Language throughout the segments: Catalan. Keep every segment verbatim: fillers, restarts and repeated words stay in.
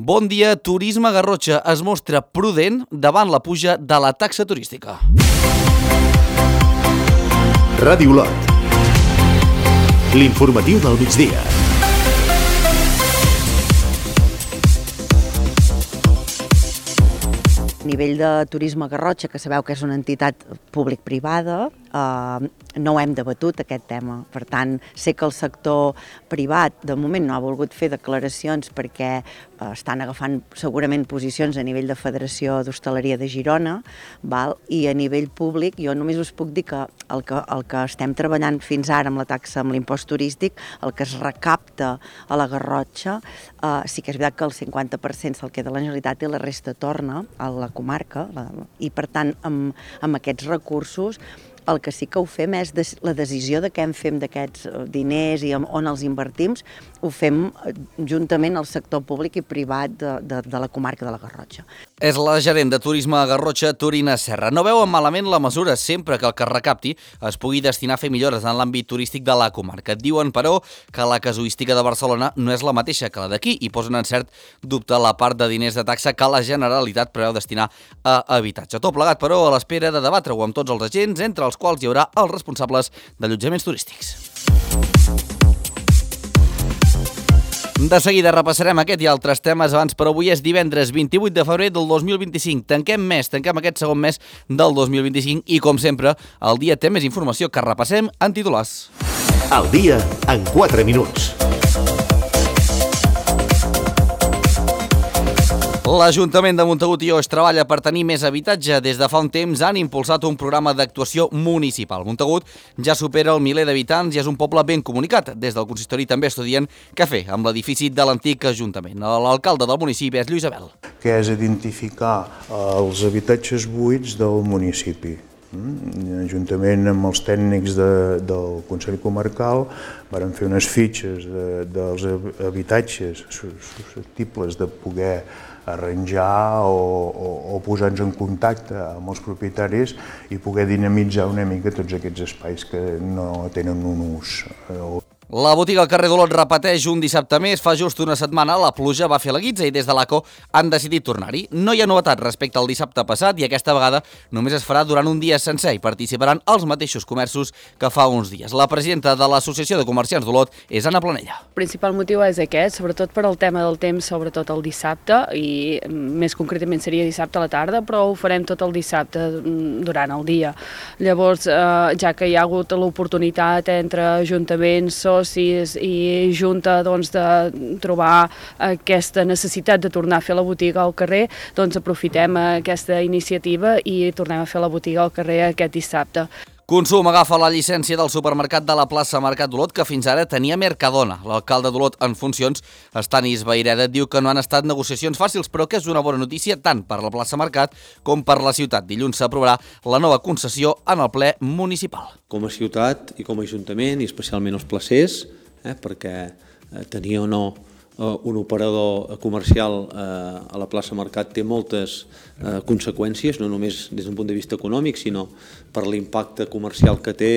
Bon dia, Turisme Garrotxa es mostra prudent davant la puja de la taxa turística. Ràdio Lot. L'informatiu del migdia. A nivell de Turisme Garrotxa, que sabeu que és una entitat públic-privada, eh, no ho hem debatut, aquest tema. Per tant, sé que el sector privat, de moment, no ha volgut fer declaracions perquè eh, estan agafant segurament posicions a nivell de Federació d'Hostaleria de Girona, val? I a nivell públic, jo només us puc dir que el, que el que estem treballant fins ara amb la taxa, amb l'impost turístic, el que es recapta a la Garrotxa, eh, sí que és veritat que el cinquanta per cent se'l queda la Generalitat i la resta torna a la comarca, la, i per tant, amb, amb aquests recursos, el que sí que ho fem és des, la decisió de què en fem d'aquests diners i on els invertim, ho fem juntament al sector públic i privat de, de, de la comarca de la Garrotxa. És la gerent de Turisme a Garrotxa, Torina Serra. No veuen malament la mesura sempre que el que es recapti es pugui destinar a fer millores en l'àmbit turístic de la comarca. Diuen, però, que la casuística de Barcelona no és la mateixa que la d'aquí i posen en cert dubte la part de diners de taxa que la Generalitat preveu destinar a habitatge. Tot plegat, però, a l'espera de debatre-ho amb tots els agents, entre els quals hi haurà els responsables d'allotjaments turístics. De seguida repassarem aquest i altres temes abans, però avui és divendres vint-i-vuit de febrer del dos mil vint-i-cinc. Tanquem mes, tanquem aquest segon mes del dos mil vint-i-cinc i, com sempre, el dia té més informació que repassem en titulars. El dia en quatre minuts. L'Ajuntament de Montagut i Oix treballa per tenir més habitatge. Des de fa un temps han impulsat un programa d'actuació municipal. Montagut ja supera el miler d'habitants i és un poble ben comunicat. Des del consistori també estudien què fer amb l'edifici de l'antic Ajuntament. L'alcalde del municipi és Lluís Abel. Que és identificar els habitatges buits del municipi. Juntament amb els tècnics de, del Consell Comarcal varen fer unes fitxes de, dels habitatges susceptibles de poder arranjar o, o, o posar-nos en contacte amb els propietaris i poder dinamitzar una mica tots aquests espais que no tenen un ús. La botiga al carrer d'Olot repeteix un dissabte més. Fa just una setmana la pluja va fer la guitza i des de l'A C O han decidit tornar-hi. No hi ha novetat respecte al dissabte passat i aquesta vegada només es farà durant un dia sencer i participaran els mateixos comerços que fa uns dies. La presidenta de l'Associació de Comerciants d'Olot és Anna Planella. El principal motiu és aquest, sobretot per al tema del temps, sobretot el dissabte, i més concretament seria dissabte a la tarda, però ho farem tot el dissabte durant el dia. Llavors, eh, ja que hi ha hagut l'oportunitat entre ajuntaments, socis i junta doncs, de trobar aquesta necessitat de tornar a fer la botiga al carrer, doncs aprofitem aquesta iniciativa i tornem a fer la botiga al carrer aquest dissabte. Consum agafa la llicència del supermercat de la plaça Mercat d'Olot que fins ara tenia Mercadona. L'alcalde d'Olot en funcions, Estanis Vaireda, diu que no han estat negociacions fàcils, però que és una bona notícia tant per la plaça Mercat com per la ciutat. Dilluns s'aprovarà la nova concessió en el ple municipal. Com a ciutat i com a ajuntament, i especialment els placers, eh, perquè eh, tenir o no un operador comercial eh, a la plaça Mercat té moltes eh, conseqüències, no només des d'un punt de vista econòmic, sinó per l'impacte comercial que té,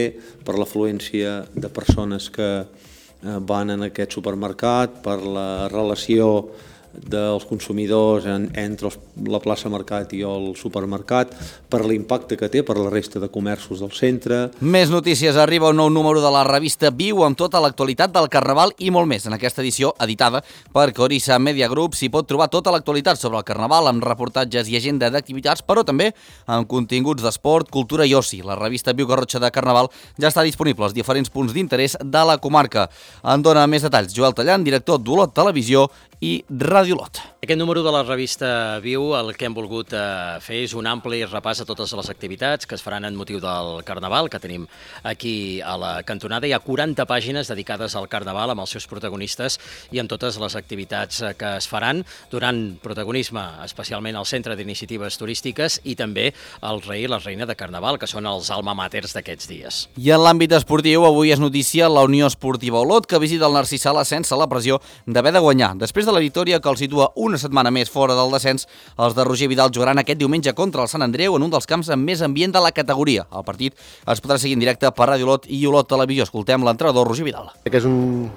per l'afluència de persones que eh, van en aquest supermercat, per la relació dels consumidors en, entre els, la plaça Mercat i el supermercat, per l'impacte que té per la resta de comerços del centre. Més notícies. Arriba un nou número de la revista Viu amb tota l'actualitat del Carnaval i molt més. En aquesta edició, editada per Corissa Media Group, s'hi pot trobar tota l'actualitat sobre el Carnaval amb reportatges i agenda d'activitats, però també amb continguts d'esport, cultura i oci. La revista Viu Garrotxa de Carnaval ja està disponible als diferents punts d'interès de la comarca. En dona més detalls Joel Tallant, director d'Olot Televisió i Ràdio Lot. Aquest número de la revista Viu, el que hem volgut eh, fer és un ampli repàs a totes les activitats que es faran en motiu del Carnaval, que tenim aquí a la cantonada. Hi ha quaranta pàgines dedicades al Carnaval amb els seus protagonistes i amb totes les activitats que es faran, donant protagonisme especialment al Centre d'Iniciatives Turístiques i també al rei i la reina de Carnaval, que són els alma maters d'aquests dies. I en l'àmbit esportiu, avui és notícia la Unió Esportiva Olot, que visita el Narcís Sala sense la pressió d'haver de guanyar. Després de la victòria que el situa una setmana més fora del descens, els de Roger Vidal jugaran aquest diumenge contra el Sant Andreu en un dels camps amb més ambient de la categoria. El partit es podrà seguir en directe per Ràdio Olot i Olot Televisió. Escoltem l'entrenador Roger Vidal. Que és un,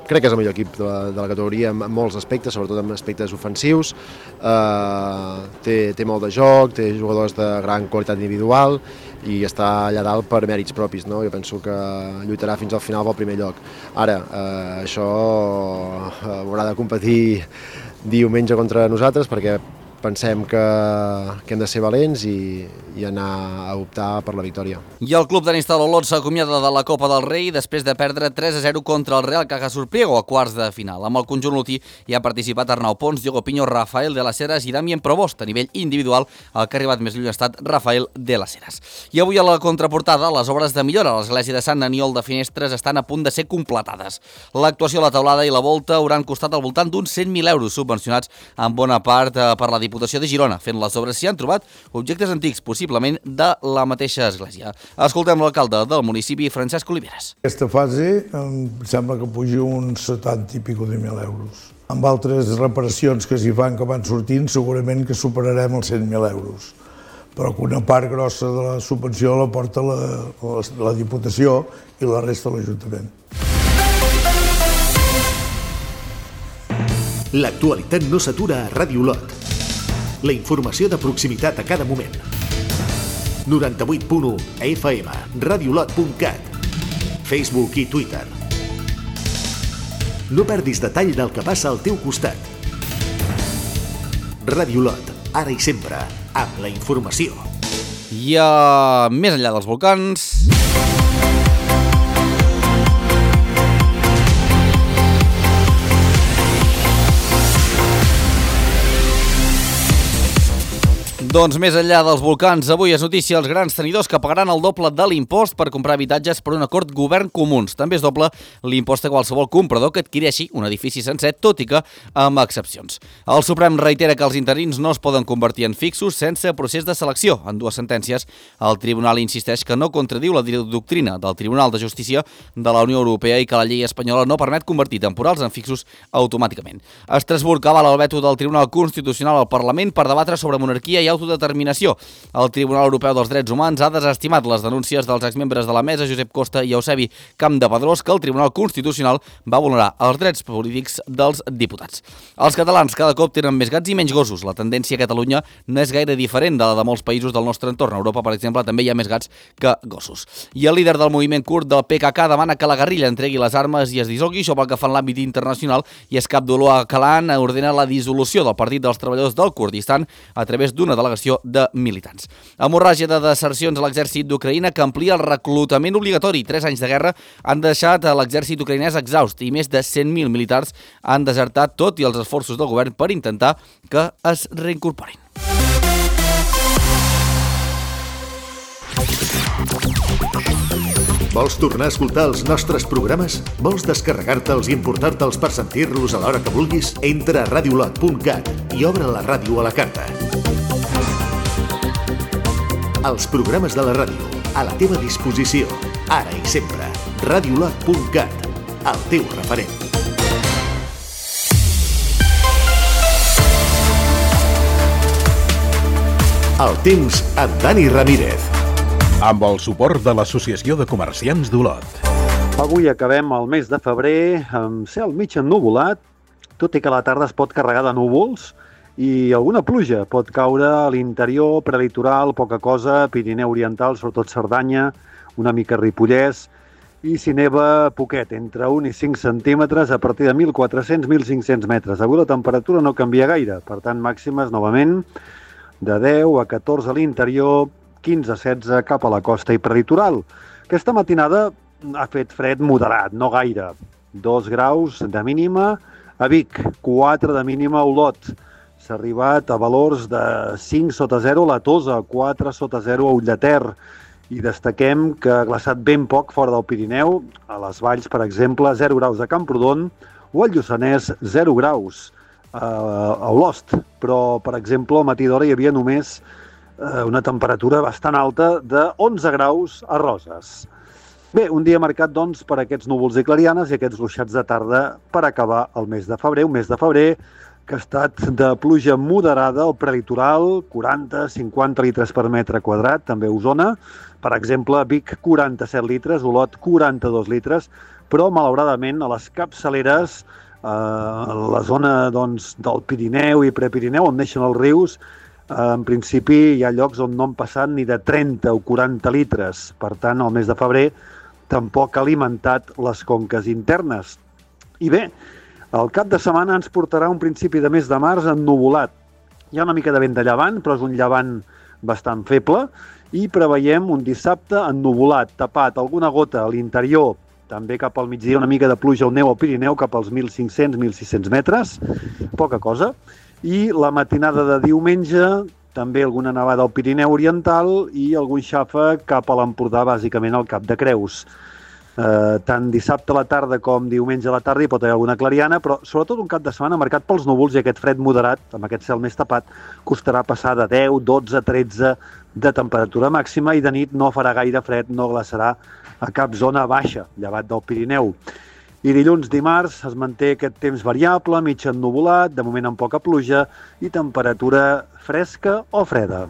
crec que és el millor equip de la, de la categoria en, en molts aspectes, sobretot en aspectes ofensius. Uh, té, té molt de joc, té jugadors de gran qualitat individual i està allà dalt per mèrits propis, no? Jo penso que lluitarà fins al final pel primer lloc. Ara, uh, això uh, haurà de competir diumenge contra nosaltres perquè pensem que, que hem de ser valents i, i anar a optar per la victòria. I el club tenis Olot s'acomiada de la Copa del Rei després de perdre tres a zero contra el Real Caja Surpriego a quarts de final. Amb el conjunt lotí hi ha participat Arnau Pons, Diogo Piño, Rafael de las Heras i Damien Provost. A nivell individual, el que ha arribat més lluny ha estat Rafael de las Heras. I avui a la contraportada, les obres de millora a l'església de Sant Aniol de Finestres estan a punt de ser completades. L'actuació a la teulada i la volta hauran costat al voltant d'uns cent mil euros subvencionats en bona part per la Diputació de Girona. Fent les obres s'hi han trobat objectes antics, possiblement de la mateixa església. Escoltem l'alcalde del municipi, Francesc Oliveres. Aquesta fase em sembla que puja uns setanta i pico de mil euros. Amb altres reparacions que s'hi fan que van sortint, segurament que superarem els cent mil euros. Però que una part grossa de la subvenció la porta la, la, la Diputació i la resta l'Ajuntament. L'actualitat no s'atura a Ràdio Olot. La informació de proximitat a cada moment. noranta-vuit punt u a F M, radiolot punt cat, Facebook i Twitter. No perdis detall del que passa al teu costat. Ràdio Olot, ara i sempre, amb la informació. I uh, més enllà dels volcans... Doncs més enllà dels volcans, avui és notícia els grans tenidors que pagaran el doble de l'impost per comprar habitatges per un acord govern comuns. També es doble l'impost a qualsevol comprador que adquireixi un edifici sencer, tot i que amb excepcions. El Suprem reitera que els interins no es poden convertir en fixos sense procés de selecció. En dues sentències, el Tribunal insisteix que no contradiu la doctrina del Tribunal de Justícia de la Unió Europea i que la llei espanyola no permet convertir temporals en fixos automàticament. Estrasburg avala el veto del Tribunal Constitucional al Parlament per debatre sobre monarquia i autodeterminació. El Tribunal Europeu dels Drets Humans ha desestimat les denúncies dels exmembres de la mesa, Josep Costa i Eusebi Campdepadrós, que el Tribunal Constitucional va vulnerar els drets polítics dels diputats. Els catalans cada cop tenen més gats i menys gossos. La tendència a Catalunya no és gaire diferent de la de molts països del nostre entorn. A Europa, per exemple, també hi ha més gats que gossos. I el líder del moviment kurd del P K K demana que la guerrilla entregui les armes i es dissolgui. Això pel que fa en l'àmbit internacional, i és cap Abdullah Öcalan ordena la dissolució del Partit dels Treballadors del Kurdistan a través d'una delegació de militants. Hemorràgia de desercions a l'exèrcit d'Ucraïna que amplia el reclutament obligatori. Tres anys de guerra han deixat l'exèrcit ucraïnès exhaust i més de cent mil militars han desertat, tot i els esforços del govern per intentar que es reincorporin. Vols tornar a escoltar els nostres programes? Vols descarregar-te'ls i importar-te'ls per sentir-los a l'hora que vulguis? Entra a radiolot punt cat i obre la ràdio a la carta. Els programes de la ràdio, a la teva disposició, ara i sempre. radiolot punt cat, el teu referent. El temps amb Dani Ramírez. Amb el suport de l'Associació de Comerciants d'Olot. Avui acabem el mes de febrer amb cel mig ennuvolat, tot i que a la tarda es pot carregar de núvols i alguna pluja pot caure a l'interior, prelitoral, poca cosa, Pirineu Oriental, sobretot Cerdanya, una mica Ripollès, i si neva poquet, entre un i cinc centímetres a partir de mil quatre-cents a mil cinc-cents metres. Avui la temperatura no canvia gaire, per tant màximes novament de deu a catorze a l'interior, quinze a setze cap a la costa i prelitoral. Aquesta matinada ha fet fred moderat, no gaire. dos graus de mínima a Vic, quatre de mínima a Olot. S'ha arribat a valors de cinc sota zero a la Tosa, quatre sota zero a Ullater. I destaquem que ha glaçat ben poc fora del Pirineu, a les valls, per exemple, zero graus a Camprodon o al Lluçanès, zero graus a Olost. Però, per exemple, al matí d'hora hi havia només una temperatura bastant alta de onze graus a Roses. Bé, un dia marcat, doncs, per aquests núvols i clarianes i aquests ruixats de tarda per acabar el mes de febrer, un mes de febrer que ha estat de pluja moderada al prelitoral, quaranta a cinquanta litres per metre quadrat, també a Osona. Per exemple, Vic, quaranta-set litres, Olot, quaranta-dos litres, però, malauradament, a les capçaleres, eh, a la zona doncs, del Pirineu i Prepirineu, on neixen els rius, eh, en principi hi ha llocs on no han passat ni de trenta o quaranta litres. Per tant, el mes de febrer tampoc ha alimentat les conques internes. I bé, el cap de setmana ens portarà un principi de mes de març ennuvolat. Hi ha una mica de vent de llevant, però és un llevant bastant feble, i preveiem un dissabte ennuvolat, tapat, alguna gota a l'interior, també cap al migdia una mica de pluja o neu al Pirineu, cap als mil cinc-cents a mil sis-cents metres, poca cosa, i la matinada de diumenge també alguna nevada al Pirineu Oriental i algun xàfec cap a l'Empordà, bàsicament al Cap de Creus. Eh, tant dissabte a la tarda com diumenge a la tarda hi pot haver alguna clariana, però sobretot un cap de setmana marcat pels núvols i aquest fred moderat, amb aquest cel més tapat, costarà passar de deu, dotze, tretze de temperatura màxima i de nit no farà gaire fred, no glaçarà a cap zona baixa, llevat del Pirineu. I dilluns, dimarts, es manté aquest temps variable, mig ennuvolat, de moment amb poca pluja i temperatura fresca o freda.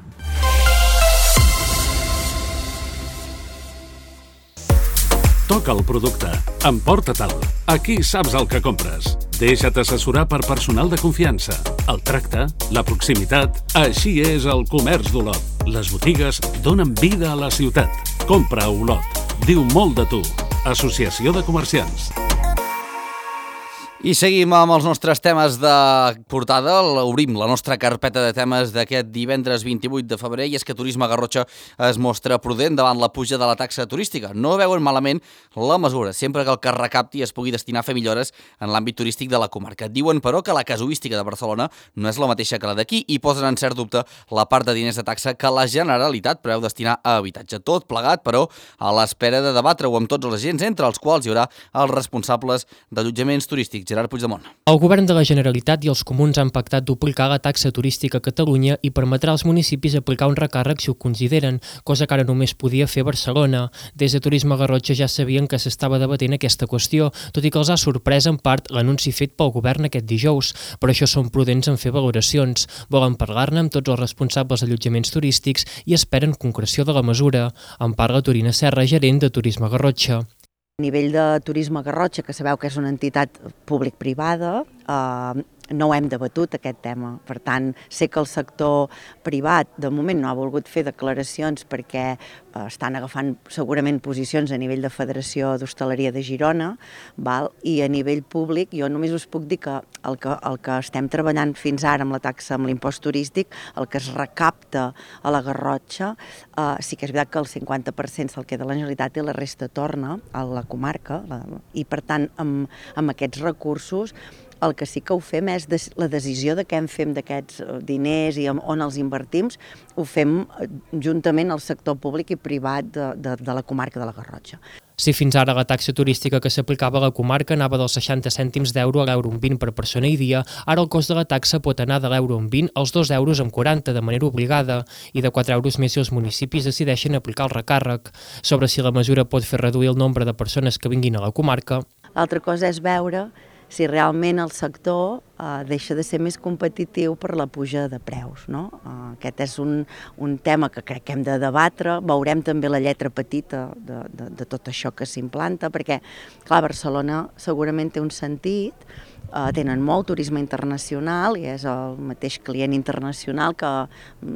Toca el producte. Emporta-te'l. Aquí saps el que compres. Deixa't assessorar per personal de confiança. El tracte, la proximitat... Així és el comerç d'Olot. Les botigues donen vida a la ciutat. Compra a Olot. Diu molt de tu. Associació de Comerciants. I seguim amb els nostres temes de portada. Obrim la nostra carpeta de temes d'aquest divendres vint-i-vuit de febrer i és que Turisme Garrotxa es mostra prudent davant la puja de la taxa turística. No veuen malament la mesura, sempre que el que es recapti es pugui destinar a fer millores en l'àmbit turístic de la comarca. Diuen, però, que la casuística de Barcelona no és la mateixa que la d'aquí i posen en cert dubte la part de diners de taxa que la Generalitat preveu destinar a habitatge. Tot plegat, però, a l'espera de debatre-ho amb tots els agents, entre els quals hi haurà els responsables d'allotjaments turístics. Gerard Puigdemont. El govern de la Generalitat i els comuns han pactat duplicar la taxa turística a Catalunya i permetrà als municipis aplicar un recàrrec si ho consideren, cosa que ara només podia fer Barcelona. Des de Turisme Garrotxa ja sabien que s'estava debatent aquesta qüestió, tot i que els ha sorprès en part l'anunci fet pel govern aquest dijous. Per això són prudents en fer valoracions. Volen parlar-ne amb tots els responsables d'allotjaments turístics i esperen concreció de la mesura. En parla Torina Serra, gerent de Turisme Garrotxa. A nivell de Turisme Garrotxa, que sabeu que és una entitat públic-privada, eh, no ho hem debatut, aquest tema. Per tant, sé que el sector privat de moment no ha volgut fer declaracions perquè eh, estan agafant segurament posicions a nivell de Federació d'Hostaleria de Girona, val? I a nivell públic jo només us puc dir que el, que el que estem treballant fins ara amb la taxa, amb l'impost turístic, el que es recapta a la Garrotxa, eh, sí que és veritat que el cinquanta per cent se'l queda la Generalitat i la resta torna a la comarca, la, i per tant amb, amb aquests recursos el que sí que ho fem és des, la decisió de què en fem d'aquests diners i on els invertim, ho fem juntament al sector públic i privat de, de, de la comarca de la Garrotxa. Si fins ara la taxa turística que s'aplicava a la comarca anava dels seixanta cèntims d'euro a l'euro amb vint per persona i dia, ara el cost de la taxa pot anar de l'euro amb vint als dos euros amb quaranta de manera obligada i de quatre euros més si els municipis decideixen aplicar el recàrrec. Sobre si la mesura pot fer reduir el nombre de persones que vinguin a la comarca. L'altra cosa és veure si realment el sector eh, deixa de ser més competitiu per la puja de preus. No? Eh, aquest és un, un tema que crec que hem de debatre. Veurem també la lletra petita de, de, de tot això que s'implanta, perquè, clar, Barcelona segurament té un sentit, eh, tenen molt turisme internacional i és el mateix client internacional que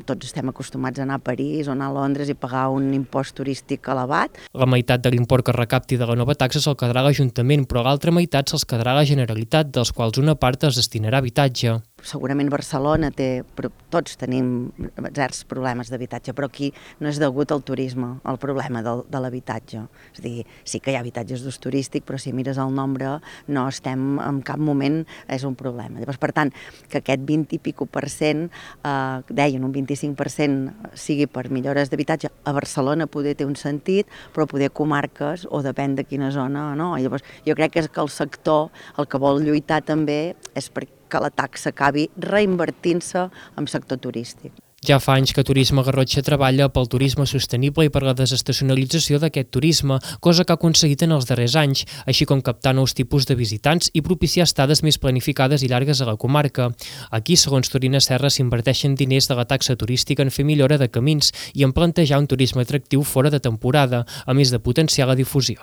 tots estem acostumats a anar a París o anar a Londres i pagar un impost turístic elevat. La meitat de l'import que recapti de la nova taxa se'l quedarà l'Ajuntament, però l'altra meitat se'ls quedarà la Generalitat, dels quals una part es destinarà a habitatge. Segurament Barcelona té, tots tenim certs problemes d'habitatge, però aquí no és degut al turisme, el problema del, de l'habitatge. És a dir, sí que hi ha habitatges d'ús turístic, però si mires el nombre no estem, en cap moment és un problema. Llavors, per tant, que aquest vint i pico per cent, eh, deien un vint-i-cinc per cent sigui per millores d'habitatge, a Barcelona poder té un sentit, però poder comarques, o depèn de quina zona, no? Llavors, jo crec que és que el sector el que vol lluitar també és perquè que la taxa acabi reinvertint-se en sector turístic. Ja fa anys que Turisme Garrotxa treballa pel turisme sostenible i per la desestacionalització d'aquest turisme, cosa que ha aconseguit en els darrers anys, així com captar nous tipus de visitants i propiciar estades més planificades i llargues a la comarca. Aquí, segons Torina Serra, s'inverteixen diners de la taxa turística en fer millora de camins i en plantejar un turisme atractiu fora de temporada, a més de potenciar la difusió.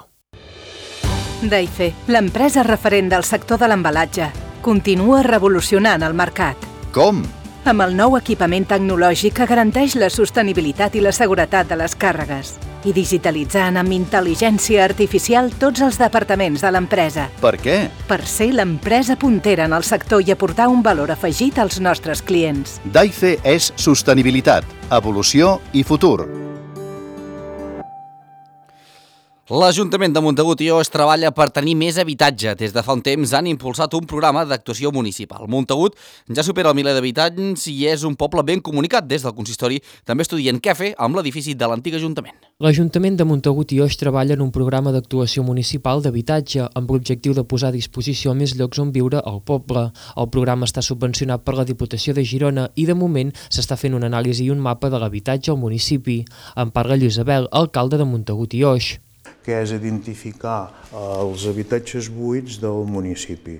Daife, l'empresa referent del sector de l'embalatge, continua revolucionant el mercat. Com? Amb el nou equipament tecnològic que garanteix la sostenibilitat i la seguretat de les càrregues i digitalitzant amb intel·ligència artificial tots els departaments de l'empresa. Per què? Per ser l'empresa puntera en el sector i aportar un valor afegit als nostres clients. Daife és sostenibilitat, evolució i futur. L'Ajuntament de Montagut i Oix treballa per tenir més habitatge. Des de fa un temps han impulsat un programa d'actuació municipal. Montagut ja supera el miler d'habitants i és un poble ben comunicat. Des del consistori també estudien què fer amb l'edifici de l'antic Ajuntament. L'Ajuntament de Montagut i Oix treballa en un programa d'actuació municipal d'habitatge amb l'objectiu de posar a disposició més llocs on viure al poble. El programa està subvencionat per la Diputació de Girona i de moment s'està fent una anàlisi i un mapa de l'habitatge al municipi. En parla Lluís Abel, alcalde de Montagut i Oix. Que és identificar els habitatges buits del municipi.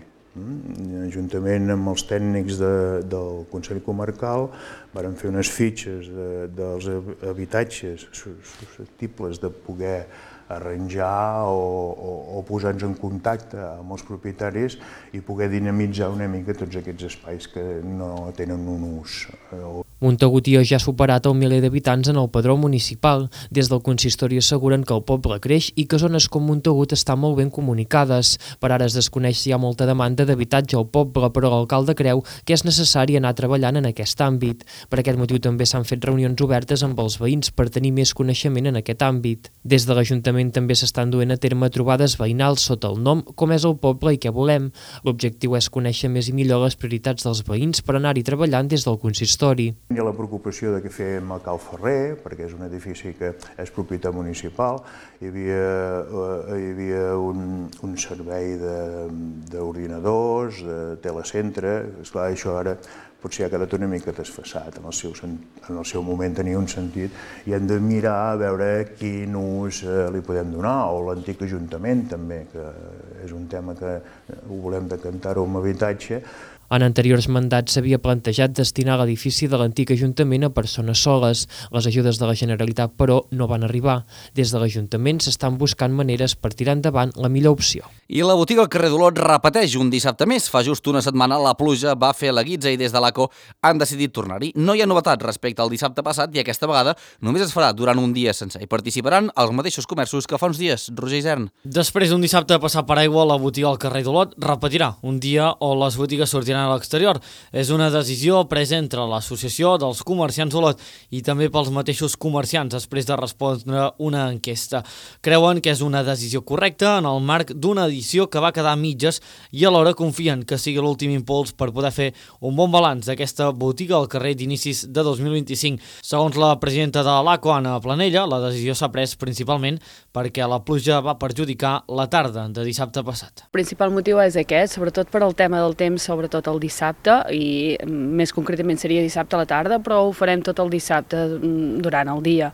Juntament amb els tècnics de, del Consell Comarcal varen fer unes fitxes de, dels habitatges susceptibles de poder arranjar o, o, o posar-nos en contacte amb els propietaris i poder dinamitzar una mica tots aquests espais que no tenen un ús. Montagut i Oix ja ha superat el miler d'habitants en el padró municipal. Des del consistori asseguren que el poble creix i que zones com Montagut estan molt ben comunicades. Per ara es desconeix si hi ha molta demanda d'habitatge al poble, però l'alcalde creu que és necessari anar treballant en aquest àmbit. Per aquest motiu també s'han fet reunions obertes amb els veïns per tenir més coneixement en aquest àmbit. Des de l'Ajuntament també s'estan duent a terme trobades veïnals sota el nom Com és el poble i què volem. L'objectiu és conèixer més i millor les prioritats dels veïns per anar-hi treballant des del consistori. Hi ha la preocupació de què fem a Cal Ferrer, perquè és un edifici que és propietat municipal. Hi havia, hi havia un, un servei d'ordinadors, de, de telecentre. Esclar, això ara potser ha quedat una mica desfasat. En el seu, en el seu moment tenia un sentit i hem de mirar a veure quin ús li podem donar, o l'antic Ajuntament també, que és un tema que ho volem decantar-ho amb habitatge. En anteriors mandats s'havia plantejat destinar l'edifici de l'antic Ajuntament a persones soles. Les ajudes de la Generalitat, però, no van arribar. Des de l'Ajuntament s'estan buscant maneres per tirar endavant la millor opció. I la botiga al carrer d'Olot repeteix un dissabte més. Fa just una setmana la pluja va fer la guitza i des de l'A C O han decidit tornar-hi. No hi ha novetat respecte al dissabte passat i aquesta vegada només es farà durant un dia sencer. Hi participaran els mateixos comerços que fa uns dies. Roger Isern. Després d'un dissabte passat per aigua, la botiga al carrer d'Olot repetirà un dia on les botigues sortiran a l'exterior. És una decisió presa entre l'Associació dels Comerciants d'Olot i també pels mateixos comerciants després de respondre una enquesta. Creuen que és una decisió correcta en el marc d'una edició que va quedar a mitges i alhora confien que sigui l'últim impuls per poder fer un bon balanç d'aquesta botiga al carrer d'inicis de dos mil vint-i-cinc. Segons la presidenta de l'A C O, Anna Planella, la decisió s'ha pres principalment perquè la pluja va perjudicar la tarda de dissabte passat. El principal motiu és aquest, sobretot per al tema del temps, sobretot el dissabte, i més concretament seria dissabte a la tarda, però ho farem tot el dissabte durant el dia.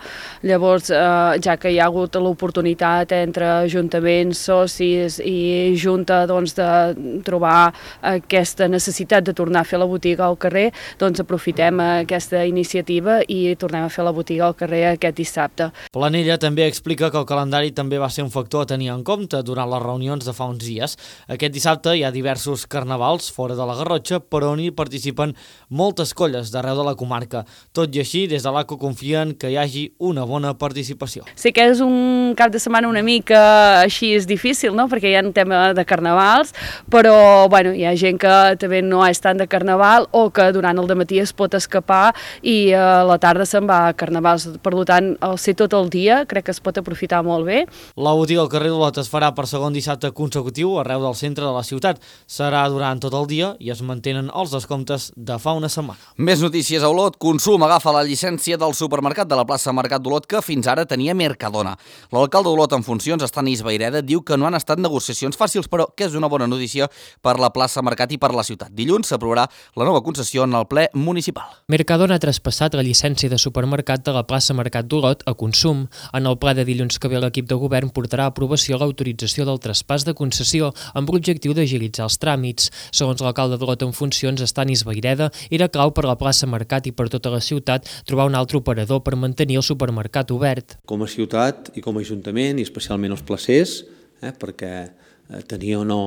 Llavors, eh, ja que hi ha hagut l'oportunitat entre ajuntaments, socis i junta doncs, de trobar aquesta necessitat de tornar a fer la botiga al carrer, doncs aprofitem aquesta iniciativa i tornem a fer la botiga al carrer aquest dissabte. Planella també explica que el calendari també va ser un factor a tenir en compte durant les reunions de fa uns dies. Aquest dissabte hi ha diversos carnavals fora de la Garrotxa, però on hi participen moltes colles d'arreu de la comarca. Tot i així, des de l'A C O confien que hi hagi una bona participació. Sí que és un cap de setmana una mica així és difícil, no? Perquè hi ha un tema de carnavals, però bueno, hi ha gent que també no és tant de carnaval o que durant el dematí es pot escapar i a la tarda se'n va a carnavals. Per tant, al ser tot el dia, crec que es pot aprofitar molt bé. La botiga al carrer d'Olot es farà per segon dissabte consecutiu arreu del centre de la ciutat. Serà durant tot el dia i es mantenen els descomptes de fa una setmana. Més notícies a Olot. Consum agafa la llicència del supermercat de la plaça Mercat d'Olot que fins ara tenia Mercadona. L'alcalde d'Olot en funcions, Estanis Vayreda, diu que no han estat negociacions fàcils, però que és una bona notícia per la plaça Mercat i per la ciutat. Dilluns s'aprovarà la nova concessió en el ple municipal. Mercadona ha traspassat la llicència de supermercat de la plaça Mercat d'Olot a Consum. En el ple de dilluns que ve l'equip de govern portarà a aprovació l'autorització del traspàs de concessió amb l'objectiu d'agilitzar els tràmits. Segons l'alcalde d'Olot en funcions, Estanis Vayreda, era clau per la plaça Mercat i per tota la ciutat trobar un altre operador per mantenir el supermercat obert. Com a ciutat i com a ajuntament, i especialment els placers, eh, perquè eh, tenir o no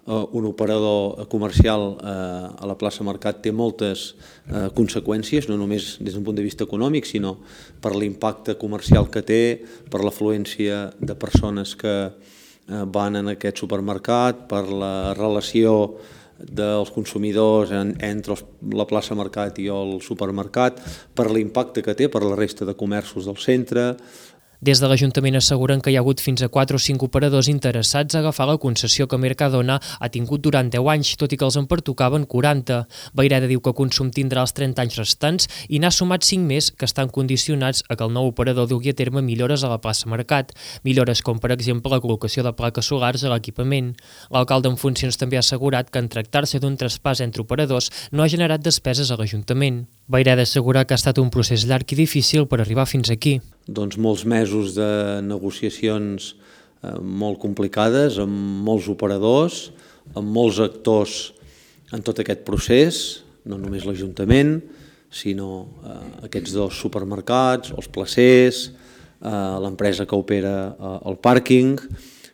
eh, un operador comercial eh, a la plaça Mercat té moltes eh, conseqüències, no només des d'un punt de vista econòmic, sinó per l'impacte comercial que té, per l'afluència de persones que van en aquest supermercat, per la relació dels consumidors entre la plaça Mercat i el supermercat, per l'impacte que té per la resta de comerços del centre. Des de l'Ajuntament asseguren que hi ha hagut fins a quatre o cinc operadors interessats a agafar la concessió que Mercadona ha tingut durant deu anys, tot i que els en pertocaven quaranta. Vayreda diu que Consum tindrà els trenta anys restants i n'ha sumat cinc més que estan condicionats a que el nou operador dugui a terme millores a la plaça Mercat. Millores com, per exemple, la col·locació de plaques solars a l'equipament. L'alcalde en funcions també ha assegurat que en tractar-se d'un traspàs entre operadors no ha generat despeses a l'Ajuntament. Vayreda assegura que ha estat un procés llarg i difícil per arribar fins aquí. Doncs molts mesos de negociacions eh, molt complicades, amb molts operadors, amb molts actors en tot aquest procés, no només l'Ajuntament, sinó eh, aquests dos supermercats, els placers, eh, l'empresa que opera eh, el pàrquing.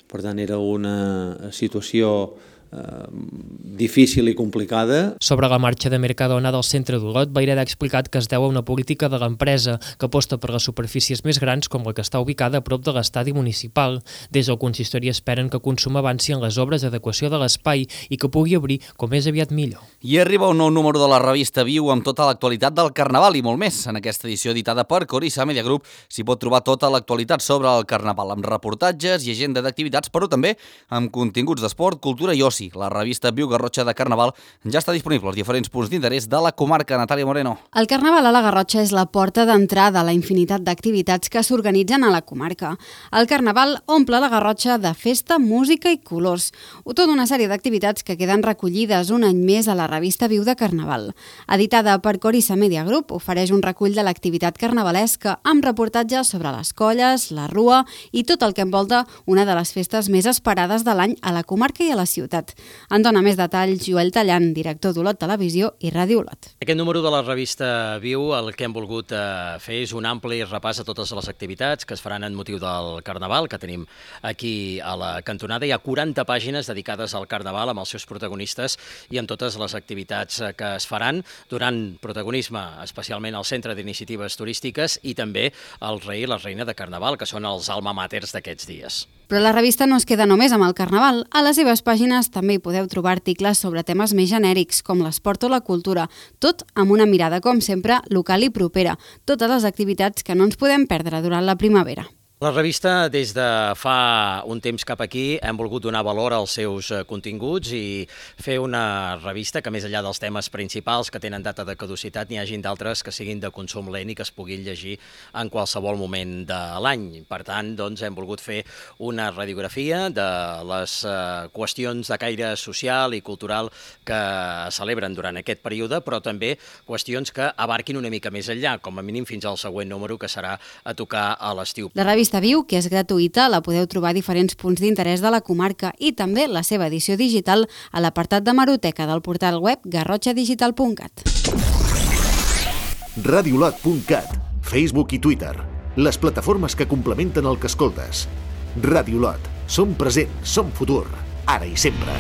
Per tant, era una situació Uh, difícil i complicada. Sobre la marxa de Mercadona del centre d'Olot, Vayreda ha explicat que es deu a una política de l'empresa que aposta per les superfícies més grans com la que està ubicada a prop de l'estadi municipal. Des del consistori esperen que Consum avanci en les obres d'adequació de l'espai i que pugui obrir com més aviat millor. I arriba un nou número de la revista Viu amb tota l'actualitat del Carnaval i molt més. En aquesta edició editada per Corissa Media Group s'hi pot trobar tota l'actualitat sobre el Carnaval, amb reportatges i agenda d'activitats, però també amb continguts d'esport, cultura i oci. La revista Viu Garrotxa de Carnaval ja està disponible als diferents punts d'interès de la comarca. Natàlia Moreno. El Carnaval a la Garrotxa és la porta d'entrada a la infinitat d'activitats que s'organitzen a la comarca. El Carnaval omple la Garrotxa de festa, música i colors. Tota una sèrie d'activitats que queden recollides un any més a la revista Viu de Carnaval. Editada per Corissa Media Group, ofereix un recull de l'activitat carnavalesca amb reportatges sobre les colles, la rua i tot el que envolta una de les festes més esperades de l'any a la comarca i a la ciutat. En dona més detalls Joel Tallant, director d'Olot Televisió i Ràdio Olot. Aquest número de la revista Viu el que hem volgut eh, fer és un ampli repàs a totes les activitats que es faran en motiu del Carnaval, que tenim aquí a la cantonada. Hi ha quaranta pàgines dedicades al Carnaval amb els seus protagonistes i amb totes les activitats que es faran, donant protagonisme especialment al Centre d'Iniciatives Turístiques i també al rei i la reina de Carnaval, que són els alma maters d'aquests dies. Però la revista no es queda només amb el Carnaval. A les seves pàgines també hi podeu trobar articles sobre temes més genèrics, com l'esport o la cultura, tot amb una mirada, com sempre, local i propera. Totes les activitats que no ens podem perdre durant la primavera. La revista, des de fa un temps cap aquí, hem volgut donar valor als seus continguts i fer una revista que, més enllà dels temes principals que tenen data de caducitat, n'hi hagin d'altres que siguin de consum lent i que es puguin llegir en qualsevol moment de l'any. Per tant, doncs, hem volgut fer una radiografia de les eh, qüestions de caire social i cultural que es celebren durant aquest període, però també qüestions que abarquin una mica més enllà, com a mínim fins al següent número, que serà a tocar a l'estiu. La revista Viu, que és gratuïta, la podeu trobar a diferents punts d'interès de la comarca i també la seva edició digital a l'apartat de Maroteca del portal web garrotxa digital punt cat. radiolot punt cat, Facebook i Twitter, les plataformes que complementen el que escoltes. Radiolot, som present, som futur, ara i sempre.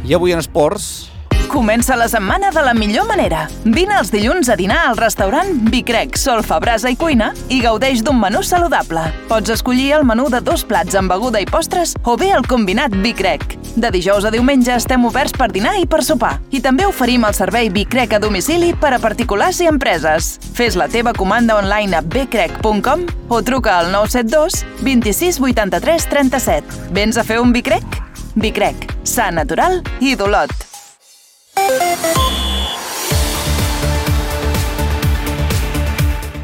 I avui en esports... Comença la setmana de la millor manera. Vine els dilluns a dinar al restaurant Vicrec, Solfa, Brasa i Cuina i gaudeix d'un menú saludable. Pots escollir el menú de dos plats amb beguda i postres o bé el combinat Vicrec. De dijous a diumenge estem oberts per dinar i per sopar. I també oferim el servei Vicrec a domicili per a particulars i empreses. Fes la teva comanda online a becrec punt com o truca al nou set dos, vint-i-sis, vuitanta-tres, trenta-set. Vens a fer un Vicrec? Vicrec, sa, natural i d'Olot.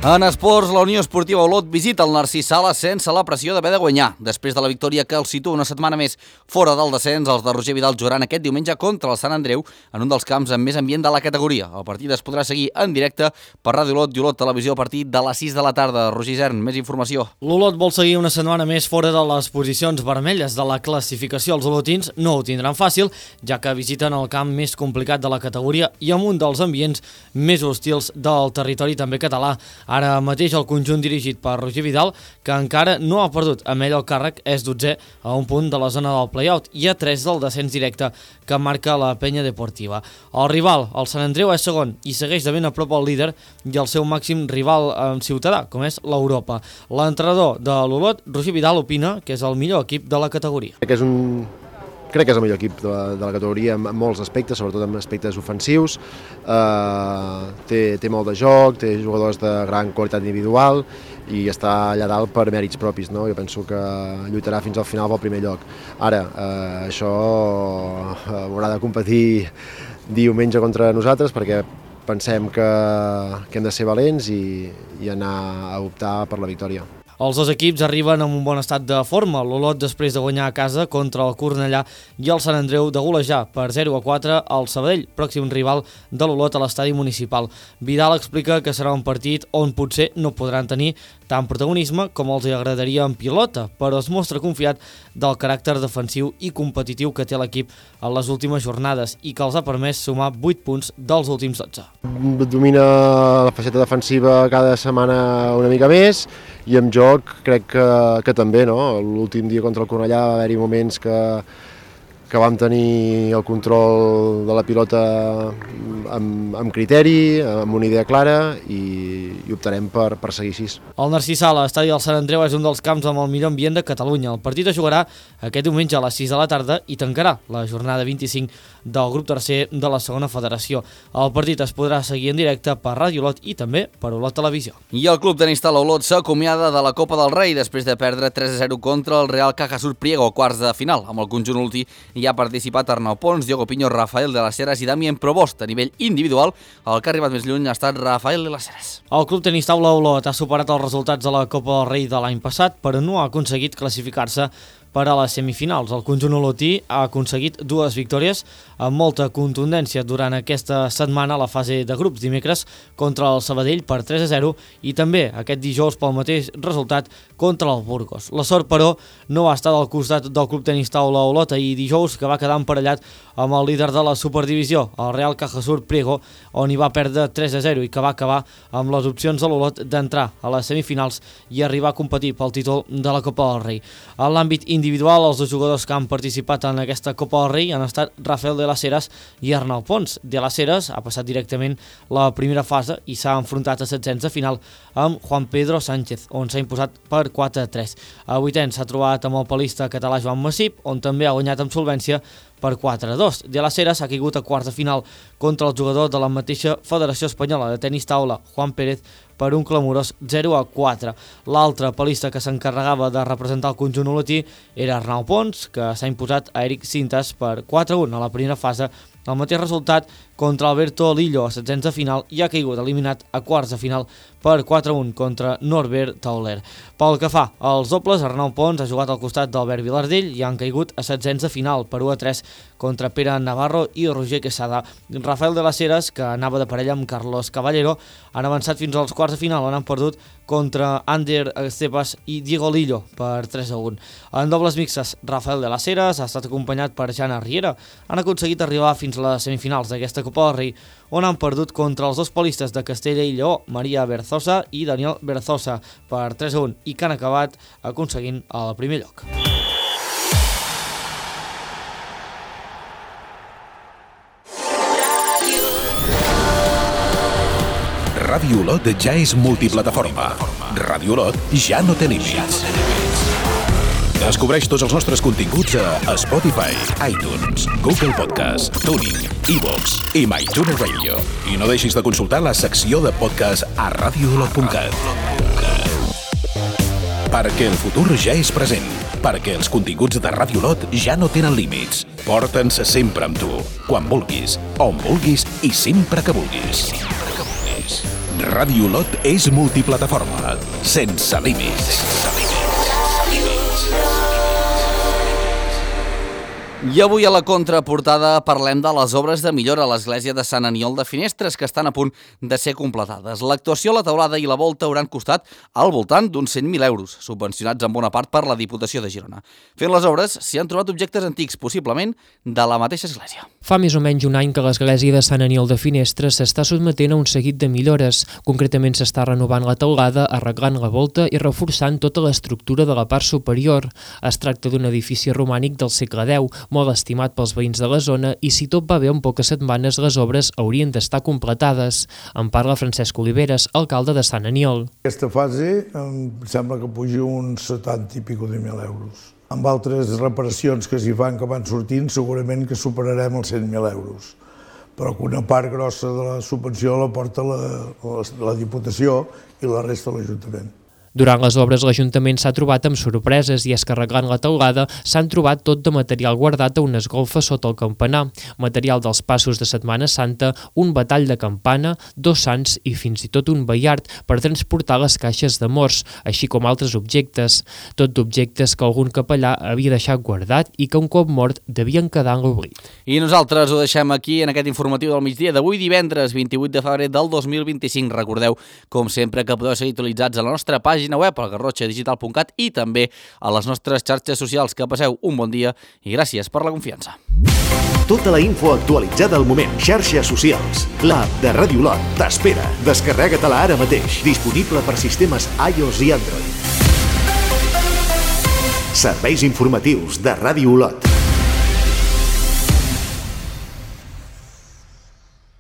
En esports, la Unió Esportiva Olot visita el Narcís Sala sense la pressió d'haver de guanyar. Després de la victòria que el situa una setmana més fora del descens, els de Roger Vidal jugaran aquest diumenge contra el Sant Andreu en un dels camps amb més ambient de la categoria. El partit es podrà seguir en directe per Ràdio Olot i Olot Televisió a partir de les sis de la tarda. Roger Isern, més informació. L'Olot vol seguir una setmana més fora de les posicions vermelles de la classificació. Els olotins no ho tindran fàcil, ja que visiten el camp més complicat de la categoria i amb un dels ambients més hostils del territori també català. Ara mateix el conjunt dirigit per Roger Vidal, que encara no ha perdut amb ell el càrrec, és dotzè a un punt de la zona del play-out i a tres del descens directe que marca la penya deportiva. El rival, el Sant Andreu, és segon i segueix de ben a prop el líder i el seu màxim rival eh, ciutadà, com és l'Europa. L'entrenador de l'Olot, Roger Vidal, opina que és el millor equip de la categoria. Que és un... Crec que és el millor equip de la, de la categoria en molts aspectes, sobretot en aspectes ofensius. Uh, té, té molt de joc, té jugadors de gran qualitat individual i està allà dalt per mèrits propis, no? Jo penso que lluitarà fins al final pel primer lloc. Ara, uh, això uh, haurà de competir diumenge contra nosaltres perquè pensem que, que hem de ser valents i, i anar a optar per la victòria. Els dos equips arriben amb un bon estat de forma. L'Olot després de guanyar a casa contra el Cornellà i el Sant Andreu de golejar per zero a quatre al Sabadell, pròxim rival de l'Olot a l'estadi municipal. Vidal explica que serà un partit on potser no podran tenir tant protagonisme com els agradaria en pilota, però es mostra confiat del caràcter defensiu i competitiu que té l'equip en les últimes jornades i que els ha permès sumar vuit punts dels últims dotze. Domina la faceta defensiva cada setmana una mica més i amb joc crec que, que també, no? L'últim dia contra el Cornellà va haver-hi moments que, que vam tenir el control de la pilota amb, amb criteri, amb una idea clara i, i optarem per, per seguir així. El Narcís Sala, estadi del Sant Andreu, és un dels camps amb el millor ambient de Catalunya. El partit es jugarà aquest diumenge a les sis de la tarda i tancarà la jornada vint-i-cinc del grup tercer de la segona federació. El partit es podrà seguir en directe per Ràdio Olot i també per Olot Televisió. I el club tenista Olot s'acomiada de la Copa del Rei després de perdre tres a zero contra el Real Cajasur Priego, quarts de final. Amb el conjunt olotí hi ha participat Arnau Pons, Diogo Piño, Rafael de las Heras i Damien Provost. A nivell individual, el que ha arribat més lluny ha estat Rafael de las Heras. El club tenista Olot ha superat els resultats de la Copa del Rei de l'any passat, però no ha aconseguit classificar-se per a les semifinals. El conjunt olotí ha aconseguit dues victòries amb molta contundència durant aquesta setmana a la fase de grups, dimecres contra el Sabadell per tres a zero i també aquest dijous pel mateix resultat contra el Burgos. La sort, però, no va estar al costat del club tenista Olot ahir dijous, que va quedar emparellat amb el líder de la Superdivisió, el Real Cajasur Priego, on hi va perdre tres a zero i que va acabar amb les opcions de l'Olot d'entrar a les semifinals i arribar a competir pel títol de la Copa del Rei. En l'àmbit individual, els dos jugadors que han participat en aquesta Copa del Rei han estat Rafael de las Heras i Arnau Pons. De las Heras ha passat directament la primera fase i s'ha enfrontat a setzents de final amb Juan Pedro Sánchez, on s'ha imposat per quatre a tres. A vuitens s'ha trobat amb el palista català Joan Massip, on també ha guanyat amb solvència per quatre a dos. De las Heras ha caigut a quarts de final contra el jugador de la mateixa Federació Espanyola de Tenis Taula, Juan Pérez, per un clamorós zero a quatre. L'altre palista que s'encarregava de representar el conjunt olotí era Arnau Pons, que s'ha imposat a Eric Cintas per quatre a un a la primera fase. El mateix resultat contra Alberto Lillo a setzents de final i ha caigut eliminat a quarts de final per quatre a un contra Norbert Tauler. Pel que fa als dobles, Arnau Pons ha jugat al costat d'Albert Vilardell i han caigut a setzents de final per u a tres contra Pere Navarro i Roger Quesada. Rafael de las Heras, que anava de parella amb Carlos Caballero, han avançat fins als quarts de final on han perdut contra Ander Estepas i Diego Lillo per tres a un. En dobles mixtes, Rafael de las Heras ha estat acompanyat per Jana Riera. Han aconseguit arribar fins a les semifinals d'aquesta Copa del Rei, on han perdut contra els dos palistes de Castella i Lleó, Maria Berzosa i Daniel Berzosa, per tres a un, i que han acabat aconseguint el primer lloc. Ràdio Olot ja és multiplataforma. Ràdio Olot ja no té límits. Descobreix tots els nostres continguts a Spotify, iTunes, Google Podcast, TuneIn, iVoox i MyTuner Radio. I no deixis de consultar la secció de podcast a ràdio olot punt cat. Perquè el futur ja és present. Perquè els continguts de Ràdio Olot ja no tenen límits. Porta'ns sempre amb tu, quan vulguis, on vulguis i sempre que vulguis. Ràdio Olot és multiplataforma, sense límits. I avui a la contraportada parlem de les obres de millora a l'església de Sant Aniol de Finestres, que estan a punt de ser completades. L'actuació, la teulada i la volta hauran costat al voltant d'uns cent mil euros, subvencionats en bona part per la Diputació de Girona. Fent les obres s'hi han trobat objectes antics, possiblement de la mateixa església. Fa més o menys un any que l'església de Sant Aniol de Finestres s'està sotmetent a un seguit de millores. Concretament s'està renovant la teulada, arreglant la volta i reforçant tota l'estructura de la part superior. Es tracta d'un edifici romànic del segle deu, molt estimat pels veïns de la zona, i si tot va bé, en poques setmanes les obres haurien d'estar completades. En parla Francesc Oliveres, alcalde de Sant Aniol. Aquesta fase em sembla que puja uns setanta i pico de mil euros. Amb altres reparacions que s'hi fan que van sortint, segurament que superarem els cent mil euros. Però que una part grossa de la subvenció la porta la, la, la Diputació i la resta de l'Ajuntament. Durant les obres l'Ajuntament s'ha trobat amb sorpreses i és que arreglant la teulada s'han trobat tot de material guardat a unes golfes sota el campanar, material dels passos de Setmana Santa, un batall de campana, dos sants i fins i tot un baiard per transportar les caixes de morts, així com altres objectes, tot d'objectes que algun capellà havia deixat guardat i que un cop mort devien quedar en l'oblit. I nosaltres ho deixem aquí en aquest informatiu del migdia d'avui divendres vint-i-vuit de febrer del dos mil vint-i-cinc. Recordeu, com sempre, que podeu seguir actualitzats a la nostra pàgina web al garrotxa digital punt cat i també a les nostres xarxes socials. Que passeu un bon dia i gràcies per la confiança. Tota la info actualitzada al moment. Xarxes socials. L'app de Ràdio Olot t'espera. Descarrega-te-la ara mateix. Disponible per sistemes iOS i Android. Serveis informatius de Ràdio Olot.